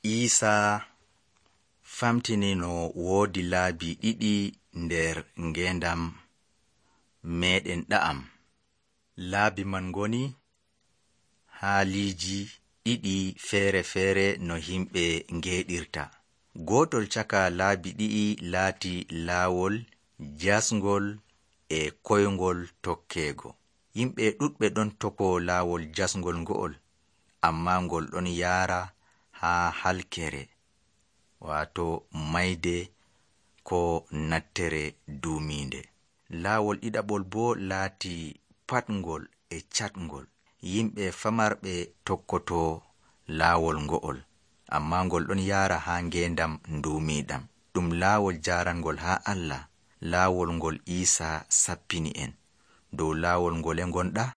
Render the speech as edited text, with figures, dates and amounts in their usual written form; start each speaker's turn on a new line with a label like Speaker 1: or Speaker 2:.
Speaker 1: Iisaa famtini no woodi laabi ɗiɗi nder ngeendam meeɗen ɗa'am. Laabi man ngoni haaliiji ɗiɗi feere no himɓe ngeeɗirta. Gootol caka laabi ɗiɗi laati laawol jasngol e koyngol tokkeego. Yimɓe ɗuɗɓe ɗon toko laawol jasngol ngo'ol, ammaa ngol ɗon yaara haa halkere, waato mayde ko nattere duumiinde. Laawol ɗiɗaɓol boo laati patngol e catngol. Yimɓe famarɓe tokkotoo laawol ngo'ol, ammaa ngol ɗon yaara haa ngeendam nduumiiɗam. Ɗum laawol jaarangol haa Allah, laawol ngol Iisaa sappini en. Dow laawol ngole ngonɗaa?